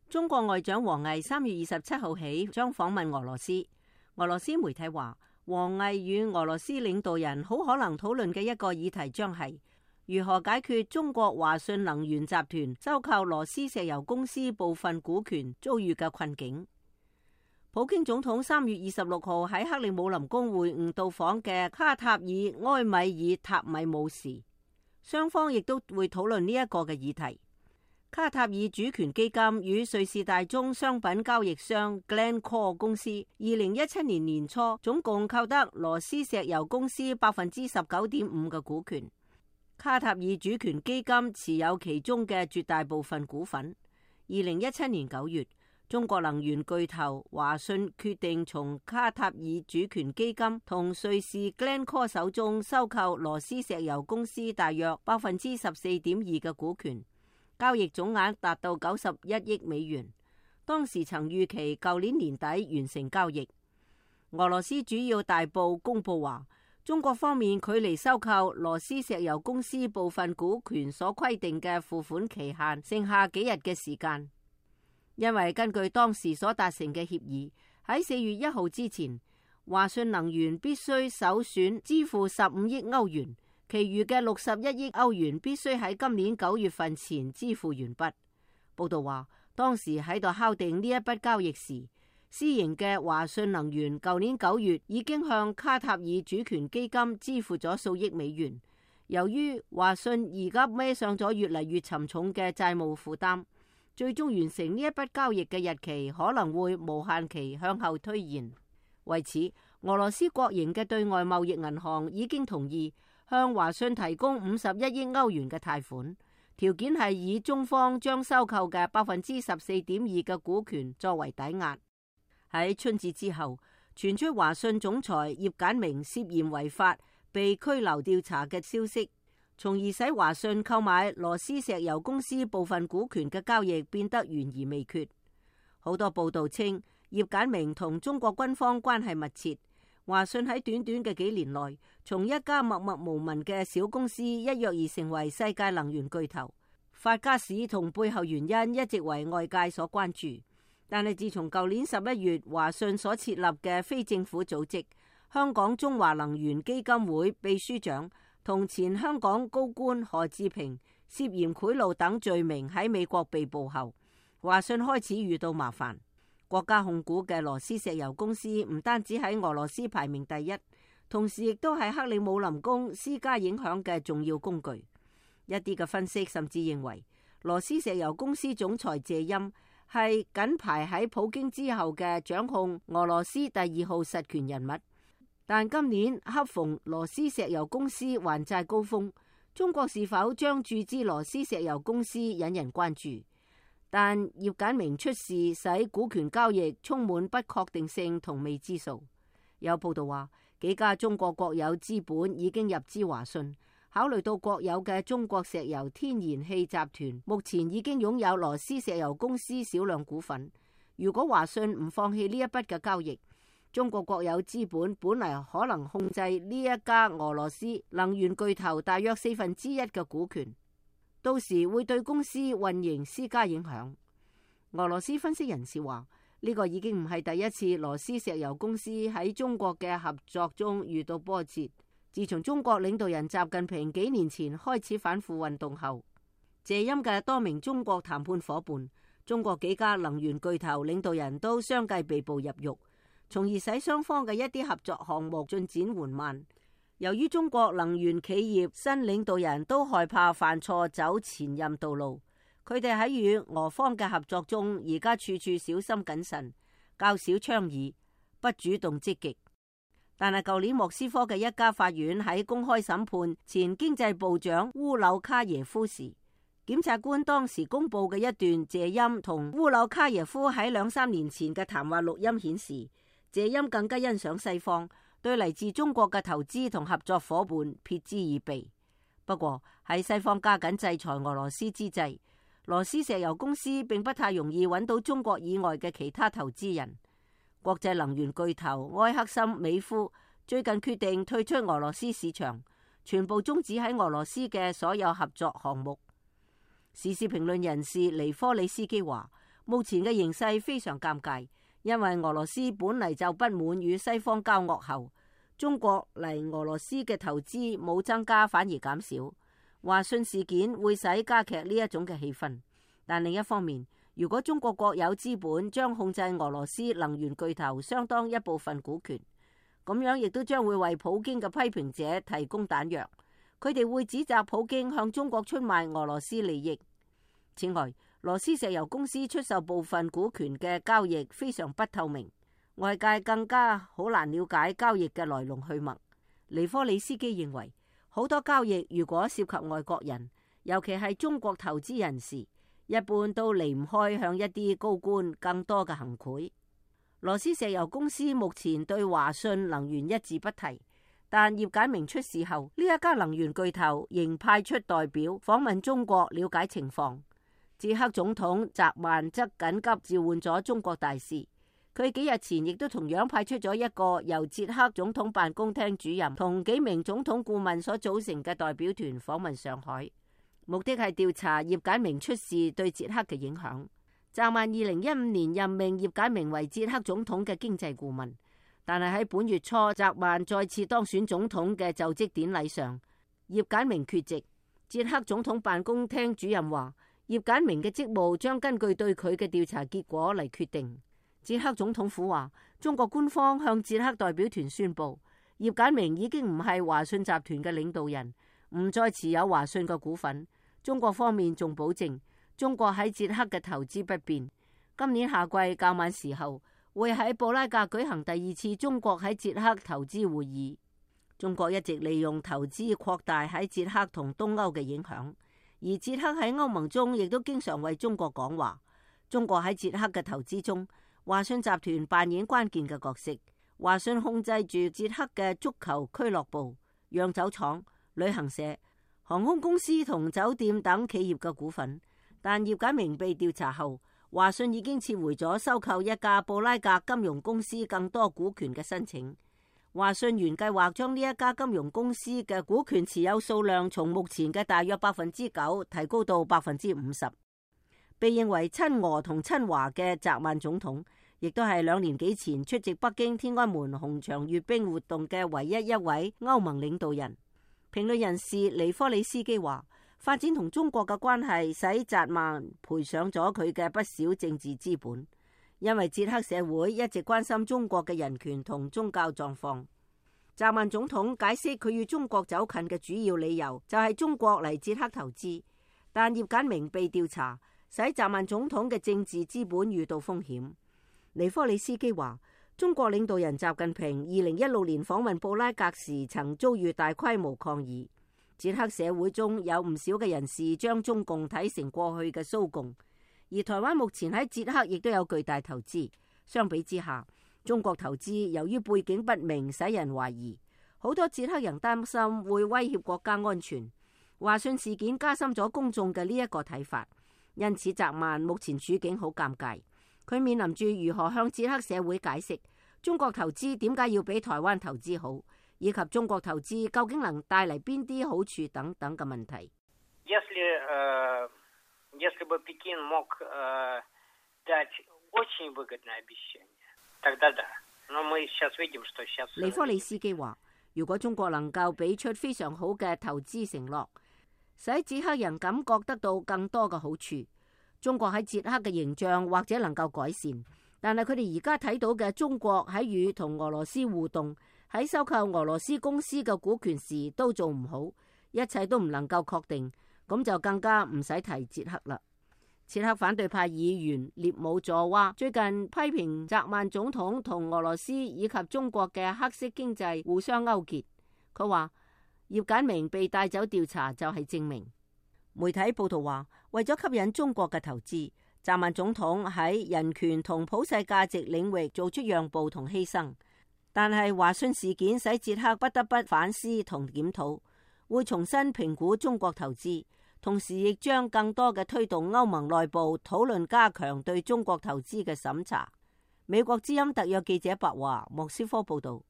中國外長王毅3月27號起將訪問俄羅斯。俄羅斯媒體話，王毅與俄羅斯領導人好可能討論嘅一個議題將係如何解決中國華信能源集團收購羅斯石油公司部分股權遭遇嘅困境。普京總統3月26號喺克里姆林宮會晤到訪嘅卡塔爾埃米爾塔米姆時，雙方亦都會討論呢一個嘅議題。卡塔爾主權基金與瑞士大宗商品交易商 Glencore 公司2017年年初總共購得羅斯石油公司19.5%嘅股權。卡塔爾主權基金持有其中嘅絕大部分股份。2017年9月，中國能源巨頭華信決定從卡塔爾主權基金同瑞士 Glencore 手中收購羅斯石油公司大約14.2%嘅股權。交易總額達到91億美元，當時曾預期舊年年底完成交易。俄羅斯主要大報公佈話，中國方面距離收購羅斯石油公司部分股權所規定嘅付款期限剩下幾日嘅時間，因為根據當時所達成嘅協議，喺4月1號之前，華信能源必須首選支付15億歐元。其餘嘅61億歐元必須喺今年9月份前支付完畢。報道話，當時喺度敲定呢一筆交易時，私營嘅華信能源舊年9月已經向卡塔爾主權基金支付咗數億美元。由於華信而家孭上咗越嚟越沉重嘅債務負擔，最終完成呢一筆交易嘅日期可能會無限期向後推延。為此，俄羅斯國營嘅對外貿易銀行已經同意向華信提供51億歐元嘅貸款，條件係以中方將收購嘅14.2%嘅股權作為抵押。喺春節之後，傳出華信總裁葉簡明涉嫌違法被拘留調查嘅消息，從而使華信購買羅斯石油公司部分股權嘅交易變得懸而未決。好多報道稱，葉簡明同中國軍方關係密切。華信喺短短嘅幾年內，從一家默默無聞嘅小公司一躍而成為世界能源巨頭。發家史同背後原因一直為外界所關注。但係自從舊年11月華信所設立嘅非政府組織香港中華能源基金會秘書長同前香港高官何志平涉嫌賄賂等罪名喺美國被捕後，華信開始遇到麻煩。國家控股嘅羅斯石油公司唔單止喺俄羅斯排名第一，同時亦都係克里姆林宮施加影響嘅重要工具。一啲嘅分析甚至認為，羅斯石油公司總裁謝欽係緊排喺普京之後嘅掌控俄羅斯第2號實權人物。但今年恰逢羅斯石油公司還債高峰，中國是否將注資羅斯石油公司引人關注。但葉簡明出事使股權交易充滿不確定性同未知數。有報道話，幾家中國國有資本已經入資華信，考慮到國有嘅中國石油天然氣集團目前已經擁有羅斯石油公司少量股份，如果華信唔放棄呢一筆嘅交易，中國國有資本本嚟可能控制呢一家俄羅斯能源巨頭大約1/4嘅股權。到時會對公司運營施加影響。俄羅斯分析人士話，呢個已經唔係第一次羅斯石油公司喺中國嘅合作中遇到波折。自從中國領導人習近平幾年前開始反腐運動後，謝欽嘅多名中國談判夥伴、中國幾家能源巨頭領導人都相繼被捕入獄，從而使雙方嘅一啲合作項目進展緩慢。由於中國能源企業新領導人都害怕犯錯走前任道路，佢哋喺與俄方嘅合作中，而家處處小心謹慎，較少倡議，不主動積極。但係舊年莫斯科嘅一家法院喺公開審判前經濟部長烏柳卡耶夫時，檢察官當時公布嘅一段謝欽同烏柳卡耶夫喺2-3年前嘅談話錄音顯示，謝欽更加欣賞西方對嚟自中國嘅投資同合作夥伴撇之以鼻。不過喺西方加緊制裁俄羅斯之際，羅斯石油公司並不太容易揾到中國以外嘅其他投資人。國際能源巨頭埃克森美孚最近決定退出俄羅斯市場，全部終止喺俄羅斯嘅所有合作項目。時事評論人士尼科里斯基話，目前嘅形勢非常尷尬，因為俄羅斯本嚟就不滿與西方交惡後，中國嚟俄羅斯嘅投資冇增加反而減少。華信事件會使加劇呢一種嘅氣氛，但另一方面，如果中國國有資本將控制俄羅斯能源巨頭相當一部分股權，咁樣亦都將會為普京嘅批評者提供彈藥。佢哋會指責普京向中國出賣俄羅斯利益。此外，羅斯石油公司出售部分股權嘅交易非常不透明，外界更加好難了解交易嘅來龍去脈。尼科里斯基認為，好多交易如果涉及外國人，尤其係中國投資人士，一般都離唔開向一啲高官更多嘅行賄。羅斯石油公司目前對華信能源一字不提，但葉簡明出事後，呢一家能源巨頭仍派出代表訪問中國了解情況。捷克總統澤曼則緊急召喚咗中國大使，佢幾日前亦都同樣派出咗一個由捷克總統辦公廳主任同幾名總統顧問所組成嘅代表團訪問上海，目的係調查葉簡明出事對捷克嘅影響。澤曼2015年任命葉簡明為捷克總統嘅經濟顧問，但係喺本月初澤曼再次當選總統嘅就職典禮上，葉簡明缺席。捷克總統辦公廳主任話，葉簡明嘅職務將根據對佢嘅調查結果嚟決定。捷克總統府話，中國官方向捷克代表團宣布，葉簡明已經唔係華信集團嘅領導人，唔再持有華信嘅股份。中國方面仲保證，中國喺捷克嘅投資不變。今年夏季較晚時候，會喺布拉格舉行第二次中國喺捷克投資會議。中國一直利用投資擴大喺捷克同東歐嘅影響。而捷克喺歐盟中亦都經常為中國講話。中國喺捷克嘅投資中，華信集團扮演關鍵嘅角色。華信控制住捷克嘅足球俱樂部、釀酒廠、旅行社、航空公司同酒店等企業嘅股份。但葉簡明被調查後，華信已經撤回咗收購一家布拉格金融公司更多股權嘅申請。華信原計劃將呢一家金融公司嘅股權持有數量從目前嘅大約9%提高到50%。被認為親俄同親華嘅澤曼總統，亦都係2年幾前出席北京天安門紅場閱兵活動嘅唯一一位歐盟領導人。評論人士尼科里斯基話，發展同中國嘅關係使澤曼賠上咗佢嘅不少政治資本。因為捷克社會一直關心中國嘅人權同宗教狀況。澤曼總統解釋佢與中國走近嘅主要理由就係中國嚟捷克投資，但葉簡明被調查，使澤曼總統嘅政治資本遇到風險。尼科里斯基話，中國領導人習近平2016年訪問布拉格時曾遭遇大規模抗議。捷克社會中有唔少嘅人士將中共睇成過去嘅蘇共。而台灣目前喺捷克亦都有巨大投資，相比之下，中國投資由於背景不明，使人懷疑。好多捷克人擔心會威脅國家安全。華信事件加深咗公眾嘅呢一個睇法，因此澤曼目前處境好尷尬。佢面臨住如何向捷克社會解釋中國投資點解要比台灣投資好，以及中國投資究竟能帶嚟邊啲好處等等嘅問題。Если бы Пекин мог дать очень выгодное обещание, тогда да. Но мы сейчас видим, что сейчас... 尼科里斯基話，如果中國能夠俾出非常好嘅投資承諾，使捷克人感覺得到更多嘅好處，中國喺捷克嘅形象或者能夠改善。但係佢哋而家睇到嘅中國喺與同俄羅斯互動，喺收購俄羅斯公司嘅股權時都做唔好，一切都唔能夠確定。咁就更加唔使提捷克啦。捷克反對派議員列姆佐娃最近批評澤曼總統同俄羅斯以及中國嘅黑色經濟互相勾結。佢話葉簡明被帶走調查就係證明。媒體報道話，為咗吸引中國嘅投資，澤曼總統喺人權同普世價值領域做出讓步同犧牲。但係華信事件使捷克不得不反思同檢討，會重新評估中國投資。同時亦將更多嘅推動歐盟內部討論，加強對中國投資嘅審查。美國之音特約記者白華莫斯科報道。